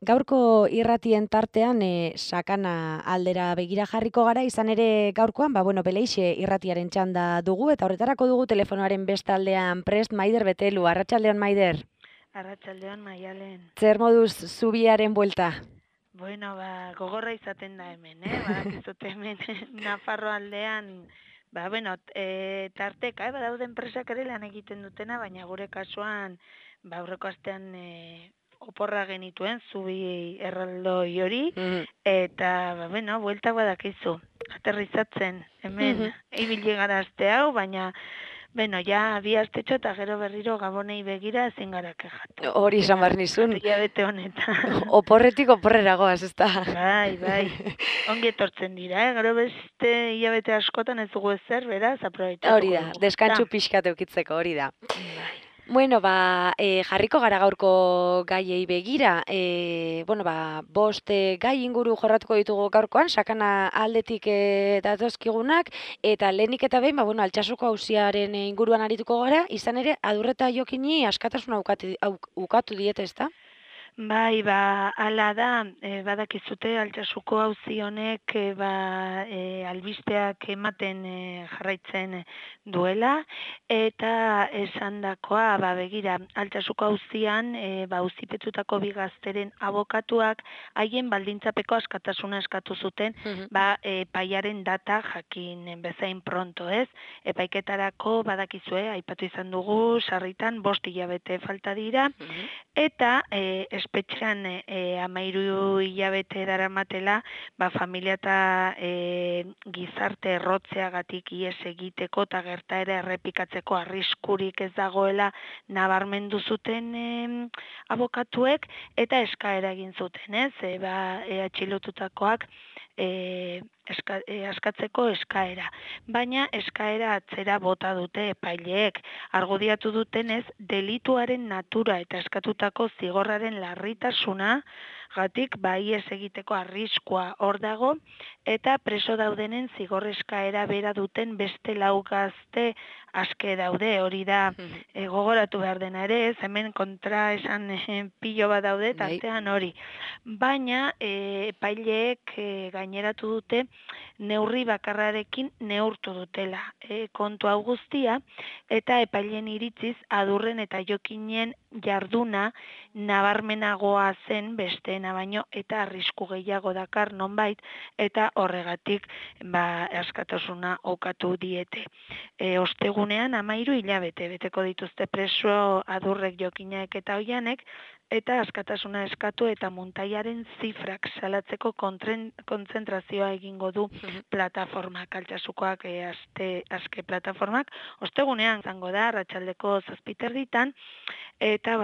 Gaurko irratien tartean sakana aldera begira jarriko gara, izan ere gaurkoan, Beleixe irratiaren txanda dugu, eta horretarako dugu telefonoaren bestaldean prest Maider Betelu. Arratsaldeon, Maider. Arratsaldeon, Maialen. Zer moduz zubiaren buelta? Bueno, gogorra izaten da hemen, badakizute hemen Nafarro aldean, tarteka, badaude enpresak ere lan egiten dutena, baina gure kasuan, aurreko astean oporra genituen, zubi erraldoi hori, eta, buelta badakizu, aterrizatzen, hemen, ibili gara aste hau, baina, ja, bi astetxo eta gero berriro gabonei begira ezin gara kejatu. Hori esan behar nizun. Hilabete honetan. Oporretik oporrera goaz, ez da? Bai. Ongi etortzen dira, gero beste hilabete askotan ez dugu ezer, beraz, aprobetxatuko Hori da, dugu. deskantxu pixkat eukitzeko, hori da. Bai. Bueno, jarriko gara gaurko gaiei begira. Bost gai inguru jorratuko ditugu gaurkoan, sakana aldetik datozkigunak, eta lehenik eta behin, Altsasuko auziaren inguruan arituko gara, izan ere, Adurreta Jokini askatasuna ukatu diete, ezta? Bai, hala da, badakizute Altsasuko auzi honek albisteak ematen jarraitzen duela, eta esandakoa, begira, Altsasuko auzian, auzipetutako bi gazteren abokatuak haien baldintzapeko askatasuna eskatu zuten, epaiaren data jakin bezain pronto, ez? Epaiketarako badakizue, aipatu izan dugu, sarritan 5 hilabete falta dira, eta espetxean 13 hilabete daramatela, familia eta gizarte errotzeagatik ihes egiteko eta gertaera errepikatzeko arriskurik ez dagoela nabarmendu zuten abokatuek, eta eskaera egin zuten, ez? Atxilotutakoak askatzeko eskaera. Baina eskaera atzera bota dute epaileek. Argudiatu dutenez, delituaren natura eta eskatutako zigorraren larritasuna gatik ihes egiteko arriskua hor dago, eta preso daudenen zigor eskaera bera duten beste 4 gazte aske daude, hori da gogoratu behar dena ere, ez hemen kontra esan pilo bat daude, tartean hori. Baina epaileek gaineratu dute neurri bakarrarekin neurtu dutela kontu hau guztia, eta epaileen iritziz Adurren eta Jokinen jarduna nabarmenagoa zen besteena baino, eta arrisku gehiago dakar nonbait, eta horregatik askatasuna ukatu diete. Ostegunean 13 hilabete beteko dituzte preso Adurrek, Jokinek eta Oianek, eta askatasuna eskatu eta muntaiaren zifrak salatzeko kontzentrazioa egingo du plataformak, Altsasukoak aske plataformak, ostegunean izango da, arratsaldeko 7:00, eta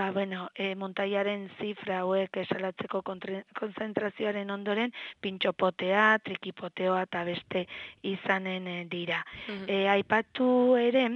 muntaiaren zifra hauek salatzeko kontzentrazioaren ondoren, pintxopotea, trikipoteoa eta beste izanen dira. Aipatu ere,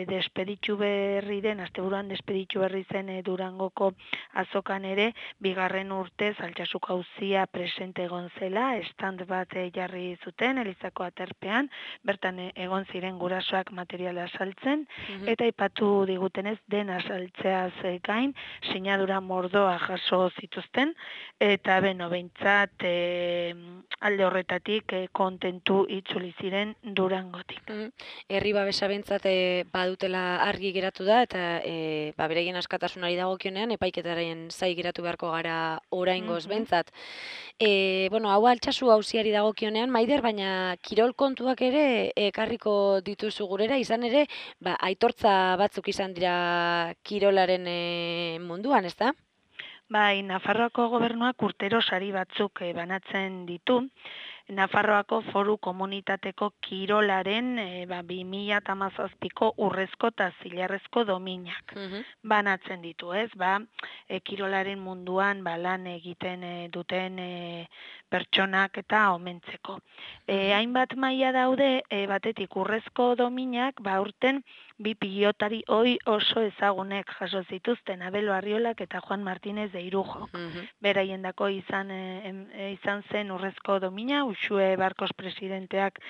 despeditu berri den, asteburuan despeditu berri zen Durangoko azokan ere, 2. urtez Altsasuko auzia presente egon zela, stand bat jarri zuten, Elizako aterpean, bertan egon ziren gurasoak materiala saltzen, eta aipatu digutenez dena saltzeaz gain, sinadura mordoa jaso zituzten, eta behintzat alde horretatik kontentu itzuli ziren Durangotik. Herri babesa behintzat badutela argi geratu da, eta bereien askatasunari dagokionean epaiketaren zai geratu beharko gara oraingoz behintzat. Hau Altsasu auziari dagokionean, Maider, baina kirol kontuak ere ekarriko dituzu gurera, izan ere, aitortza batzuk izan dira kirolaren munduan, ez da? Bai, Nafarroako gobernuak urtero sari batzuk banatzen ditu. Nafarroako Foru Komunitateko kirolaren 2017ko urrezko eta zilarrezko dominak banatzen ditu, ez? Kirolaren munduan lan egiten duten pertsonak eta omentzeko. Hainbat maila daude, batetik urrezko dominak, aurten bi pilotari oso ezagunek jaso zituzten, Abel Barriolak eta Juan Martínez de Irujok. Beraiendako izan zen urrezko domina, Uxue Barkos presidenteak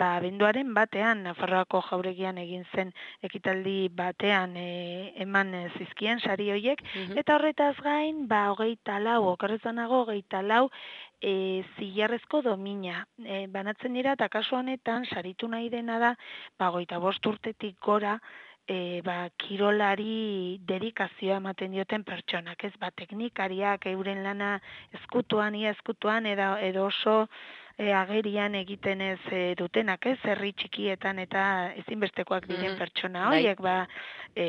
abenduaren batean, Nafarroako jauregian egin zen ekitaldi batean eman zizkien sari hoiek, eta horretaz gain, 24, okerrezanago 24, zilarrezko domina. Banatzen dira, eta kasu honetan, saritu nahi dena da, 25 urtetik gora, kirolari dedikazioa ematen dioten pertsonak, ez, teknikariak euren lana ezkutuan, edo oso agerian egiten ez dutenak, ez, herri txikietan eta ezinbestekoak diren pertsona horiek,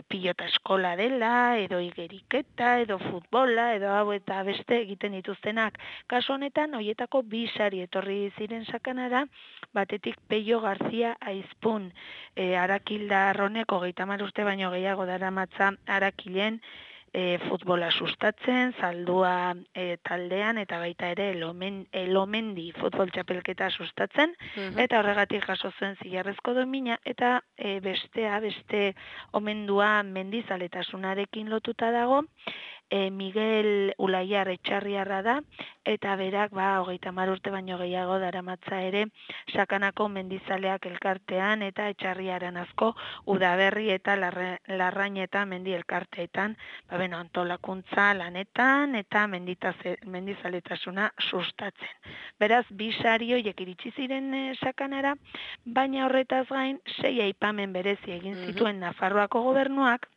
pilota eskola dela, edo igeriketa, edo futbola, edo hau eta beste egiten dituztenak. Kasu honetan, horietako 2 sari etorri ziren sakanara, batetik Peio Garzia Aizpun, Arakildar honek 30 urte baino gehiago daramatza Arakilen futbola sustatzen, Zaldua taldean, eta baita ere Elomendi futbol txapelketa sustatzen, eta horregatik jaso zuen zilarrezko domina, eta beste omendua mendizaletasunarekin lotuta dago, Miguel Ulaiar Etxarriarra da, eta berak 30 urte baino gehiago daramatza ere Sakanako mendizaleak elkartean eta Etxarriaran asko Udaberri eta Larrañeta mendi elkarteetan, antolakuntza lanetan eta mendizaletasuna sustatzen. Beraz, 2 sari horiek iritsi ziren Sakanara, baina horretaz gain 6 aipamen berezi egin zituen Nafarroako gobernuak,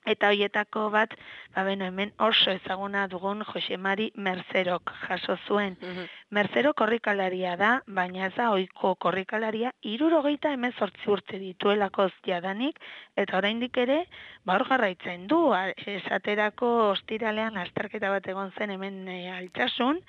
eta horietako bat, hemen oso ezaguna dugun Jose Mari Merzerok jaso zuen. Merzero korrikalaria da, baina ez da ohiko korrikalaria, 78 urte dituelako jadanik, eta oraindik ere, hor jarraitzen du, esaterako ostiralean azterketa bat egon zen hemen Altsasun,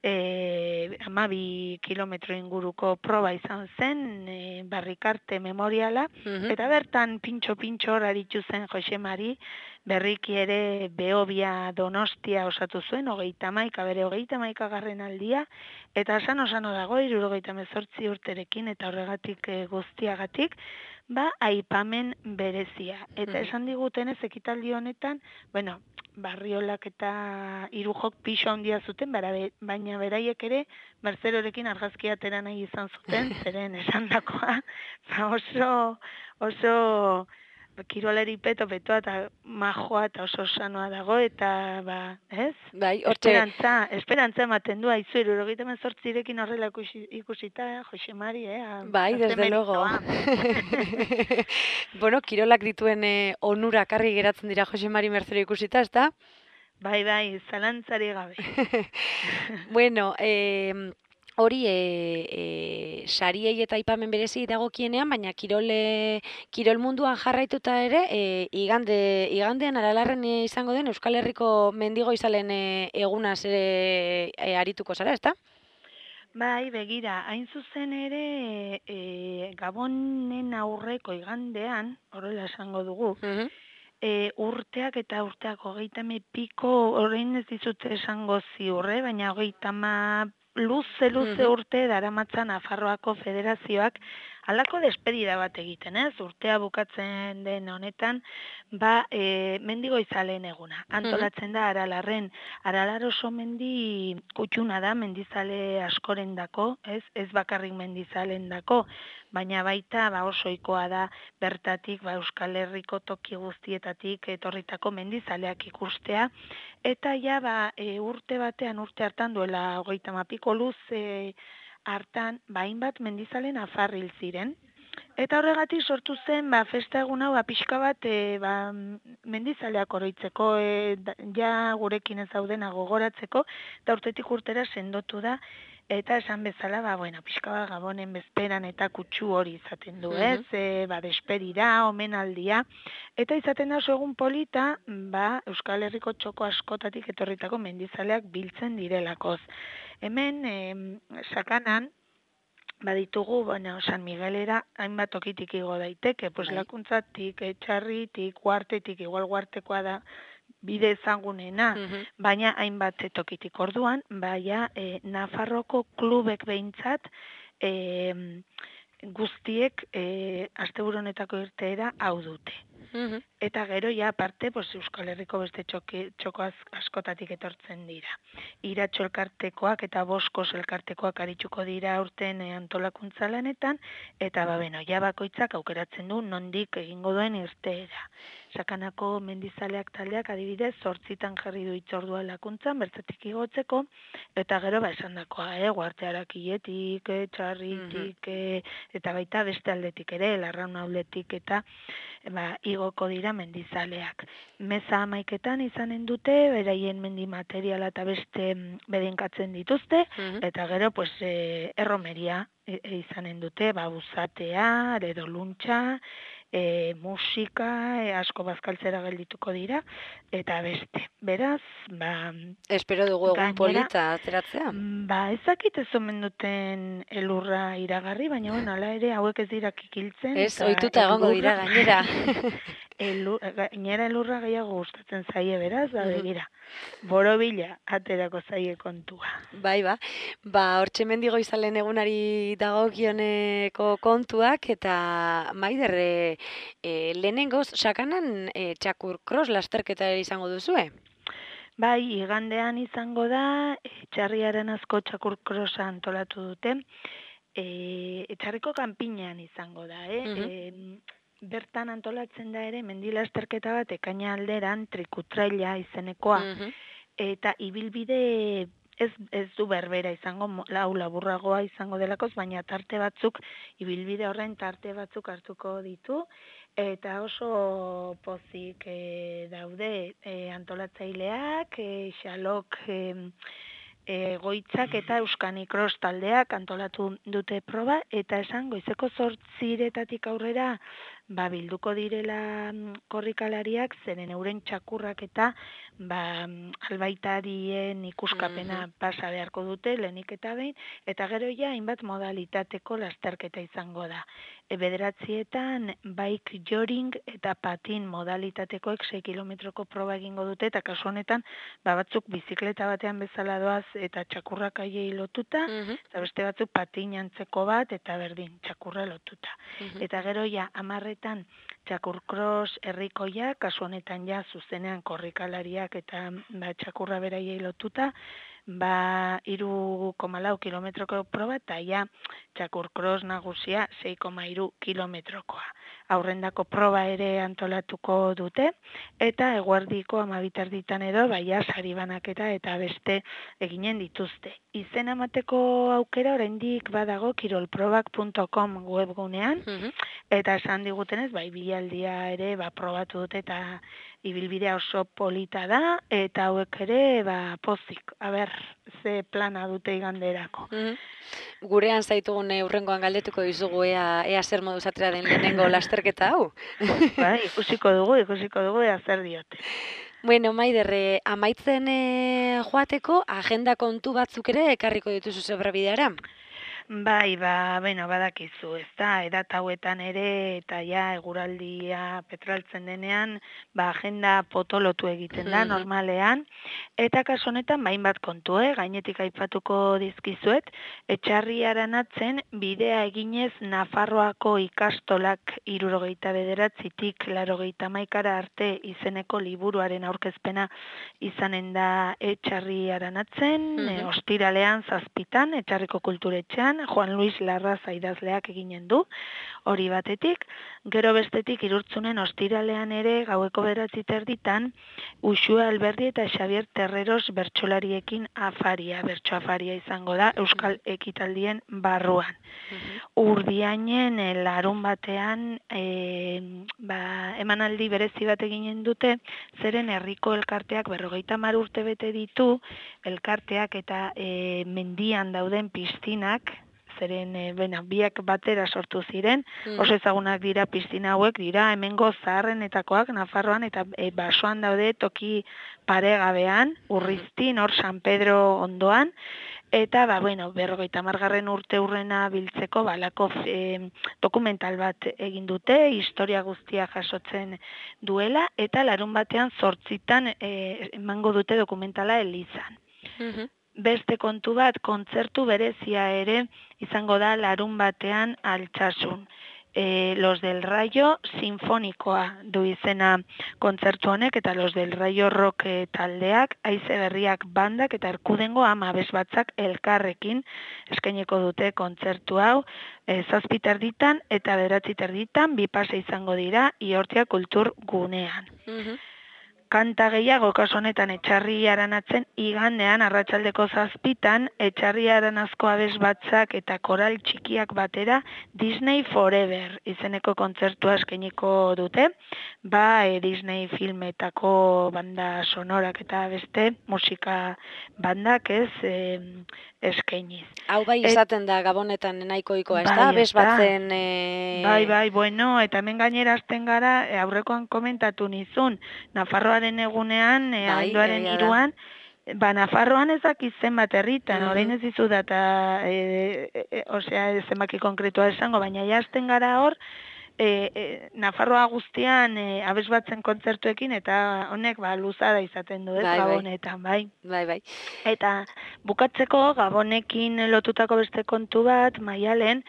12 kilometro inguruko proba izan zen, Barrikarte memoriala, eta bertan pintxo hor aritu zen Jose Mari, berriki ere Behobia Donostia osatu zuen, 31, bere 31 aldia, eta sano dago, 78 urterekin, eta horregatik guztiagatik, aipamen berezia. Eta esan digutenez ekitaldi honetan, Barriolak eta Irujok piso handia zuten, baina beraiek ere Merzerorekin argazkia atera nahi izan zuten, zeren esandakoa, oso kirolari petoa eta majoa eta oso sanoa dago, eta ez? Esperantza ematen du, aizu, 78rekin horrela ikusita, Jose Mari, desde luego. Kirolak dituen onurak argi geratzen dira Jose Mari Merzero ikusita, ez da? Bai, zalantzari gabe. Hori sariei eta aipamen berezi dagokienean, baina kirol munduan jarraituta ere, igandean Aralarren izango den Euskal Herriko mendigo izalen egunaz ere arituko zara, ezta? Bai, begira, hain zuzen ere Gabonen aurreko igandean, horrela esango dugu, urteak 30 piko, orain ez dizute esango ziurre, baina 30 luze urte daramatza Nafarroako Federazioak halako despedida bat egiten, ez? Urtea bukatzen den honetan, mendigo izaleen eguna. Antolatzen da Aralarren. Aralar oso mendi kutxuna da, mendizale askorendako, ez bakarrik mendizalendako, baina baita oso ohikoa da bertatik Euskal Herriko toki guztietatik etorritako mendizaleak ikustea, eta urte hartan duela 30 piko luze hartan, hainbat mendizale nafar hil ziren, eta horregatik sortu zen festa egun hau pixka bat mendizaleak oroitzeko, gurekin ez daudena gogoratzeko, eta urtetik urtera sendotu da, eta esan bezala, pixka bat Gabonen bezperan eta kutsu hori izaten du, ez? Despedira, omenaldia, eta izaten da oso egun polita, Euskal Herriko txoko askotatik etorritako mendizaleak biltzen direlakoz. Hemen, Sakanan, baditugu, San Miguelera hainbat tokitik igo daiteke, lakuntzatik, Etxarritik, Guartetik, igual Guartekoa da bide ezagunena, baina hainbat tokitik orduan, baina Nafarroko klubek behintzat guztiek asteburu honetako irteera hau dute. Eta gero, ja, aparte, Euskal Herriko beste txoko askotatik etortzen dira. Iratxo elkartekoak eta Boskos elkartekoak arituko dira aurten antolakuntza lanetan, eta ja bakoitzak aukeratzen du nondik egingo duen irteera. Sakanako mendizaleak taldeak adibidez 8 jarri du hitzordua lakuntzan, bertatik igotzeko, eta gero esandakoa, Uhartearakietik, Txarritik, eta baita beste aldetik ere, Larraun aldetik eta igoko dira mendizaleak. Meza 11etan izanen dute, beraien mendi materiala eta beste bedinkatzen dituzte, eta gero erromeria izanen dute, buzatea, edo luntxa, musika, asko bazkaltzera geldituko dira, eta beste. Beraz, espero dugu egun polita ateratzea. Ezakit ez omen duten elurra iragarri, baina hala ere hauek ez dira kikiltzen. Ez, ohituta egongo dira gainera. Gainera elurra gehiago gustatzen zaie, beraz, begira. Borobila aterako zaie kontua. Bai, hortxe mendigo izalen egunari dagokioneko kontuak, eta Maider, lehenengoz, sakanan txakur cross lasterketa izango duzue? Bai, igandean izango da, Txarriaren asko txakur crossa antolatu dute, Etxarriko kanpinean izango da, bertan antolatzen da ere, mendi lasterketa bat ekaina alderan trikutraila izenekoa, eta ibilbide ez du berbera izango, laburragoa izango delakoz, baina tarte batzuk, ibilbide horren tarte batzuk hartuko ditu, eta oso pozik daude antolatzaileak, Xalok Goitzak eta Euskani Cross taldeak antolatu dute proba, eta esan goizeko 8 aurrera bilduko direla korrikalariak, zeren euren txakurrak eta albaitarien ikuskapena pasa beharko dute, lehenik eta behin, eta gero hainbat modalitateko lasterketa izango da. 9etan bike joring eta patin modalitatekoek 6 kilometroko proba egingo dute, eta kasu honetan batzuk bizikleta batean bezala doaz eta txakurrak aiei lotuta, eta beste batzuk patin antzeko bat eta berdin txakurra lotuta. Eta gero 10etan txakur cross herrikoia, kasu honetan zuzenean korrikalariak eta txakurra beraiei lotuta, 3,4 kilometroko proba eta txakur cross nagusia 6,3 kilometrokoa. Aurrendako proba ere antolatuko dute, eta eguerdiko 12 edo sari banaketa eta beste eginen dituzte. Izena emateko aukera oraindik badago kirolprobak.com webgunean, eta esan digutenez, bilaldia ere probatu dute eta ibilbidea oso polita da, eta hauek ere pozik. Ze plana dute iganderako. Gurean zaitugun urrengoan galdetuko dizugu ea zer moduz atera den lehenengo lasterketa hau. Ikusiko dugu ea zer diote. Bueno, Maider, amaitzen joateko agenda kontu batzuk ere ekarriko dituzu Zebrabideara? Bai, badakizu, ezta, edat hauetan ere, eta eguraldia petraltzen denean, agenda potolotu egiten da, normalean, eta kasu honetan, hainbat kontu, gainetik aipatuko dizkizuet, Etxarriaren atzen, bidea eginez Nafarroako ikastolak 79tik 81 arte izeneko liburuaren aurkezpena izanen da Etxarriaren atzen, ostiralean 7 Etxarriko kulturetxean, Juan Luis Larraza idazleak eginen du, hori batetik, gero bestetik Irurtzunen ostiralean ere gaueko 9:30 Uxue Alberdi eta Xavier Terreros bertsolariekin bertso afaria izango da Euskal Ekitaldien barruan. Urdiainen larun batean emanaldi berezi bat eginen dute, zeren herriko elkarteak 50 urte bete ditu, elkarteak eta mendian dauden piztinak, zeren biak batera sortu ziren, oso ezagunak dira piztina hauek, dira hemengo zaharrenetakoak Nafarroan, eta basoan daude toki paregabean, Urriztin, hor San Pedro ondoan, Eta, bueno, 50. Urte hurrena biltzeko, balako dokumental bat egin dute, historia guztia jasotzen duela, eta larun batean 8 emango dute dokumentala Elizan. Mhm. Beste kontu bat, kontzertu berezia ere izango da larun batean Altsasun. Los del Rayo sinfonikoa du izena kontzertu honek, eta Los del Rayo rock taldeak, Haize Berriak bandak eta Erkudengo abesbatzak elkarrekin eskainiko dute kontzertu hau, 7:30 eta 9:30 bi pase izango dira Iortia Kultur Gunean. Mhm. Kanta gehiago, kasu honetan Etxarri Aranatzen igandean arratsaldeko 7:00 Etxarri Aranazko abesbatzak eta koral txikiak batera Disney Forever izeneko kontzertua eskainiko dute. Disney filmetako banda sonorak eta beste musika bandak eskainiz. Hau bai izaten da Gabonetan nahiko ohikoa, ezta? Bai, Abes ezta. batzen Bai, bueno, eta hemen gainera hasten gara, aurrekoan komentatu nizun, Nafarroaren egunean, Bai, abenduaren egia da. 3:00, Nafarroan ez dakit zenbat herritan, Mhm. orain ez dizu data, osea, zenbaki konkretua esango, baina ja hasten gara hor, Nafarroa guztian abesbatzen kontzertuekin, eta honek luzada izaten du, ez, Bai, bai. Gabonetan, bai. Bai, bai. Eta bukatzeko Gabonekin lotutako beste kontu bat, Maialen,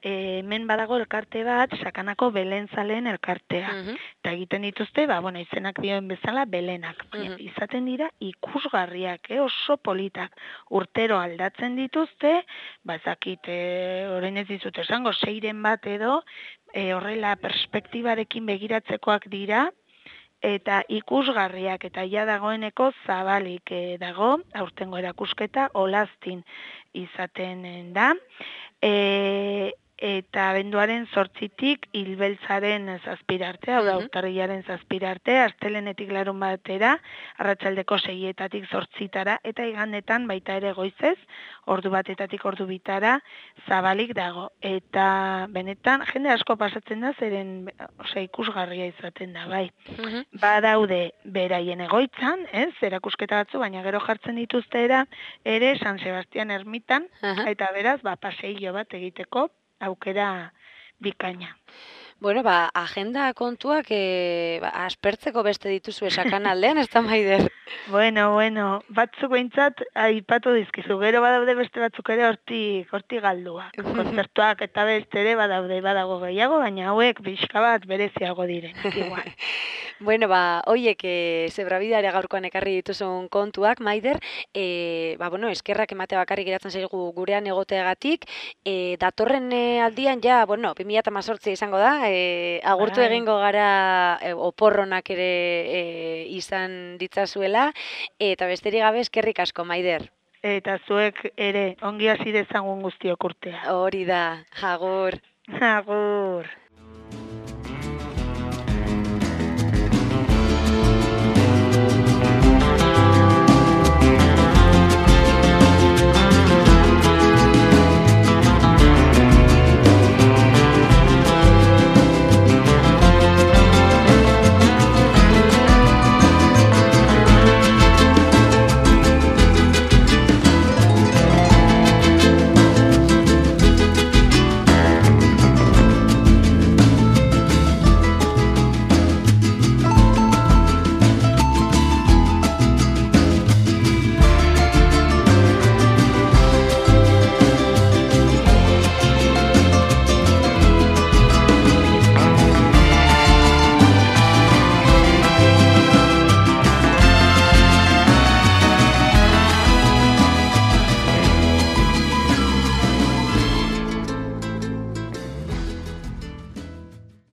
hemen badago elkarte bat, Sakanako Belenzaleen elkartea. Mhm. Eta egiten dituzte, izenak dioen bezala, belenak. Baina Mhm. izaten dira ikusgarriak, oso politak. Urtero aldatzen dituzte, ezakit, orain ez dizut esango, 6-ren bat edo, horrela perspektibarekin begiratzekoak dira, eta ikusgarriak, eta ja dagoeneko zabalik dago, aurtengo erakusketa Olaztin izaten da, eta abenduaren 8-tik Ilbeltzaren 7 arte, hau da, urtarrilaren 7 arte, astelehenetik larun batera, arratsaldeko 6-etatik 8-tara, eta igandetan baita ere goizez, ordu 1-etatik ordu 2-tara, zabalik dago. Eta benetan, jende asko pasatzen da, zeren ikusgarria izaten da, bai. Mhm. Badaude beraien egoitzan, erakusketa batzu, baina gero jartzen dituzte ere San Sebastian ermitan, Aha. eta beraz, paseillo bat egiteko aukera bikaina. Bueno, agenda kontuak aspertzeko beste dituzu esakan aldean, ez da Maider? Bueno, batzuk behintzat aipatu dizkizu, gero badaude beste batzuk ere hortik galduak. Kontzertuak eta beste ere badago gehiago, baina hauek pixka bat bereziago direnak, igual. Bueno, hoiek Zebrabidea gaurkoan ekarri dituzun kontuak, Maider, eskerrak ematea bakarrik geratzen zaigu gurean egoteagatik, datorren aldian 2018 izango da, agurtu egingo gara oporronak ere izan ditzazuela, eta besterik gabe eskerrik asko, Maider. Eta zuek ere ongi hasi dezagun guztiok urtea. Hori da, agur. Agur.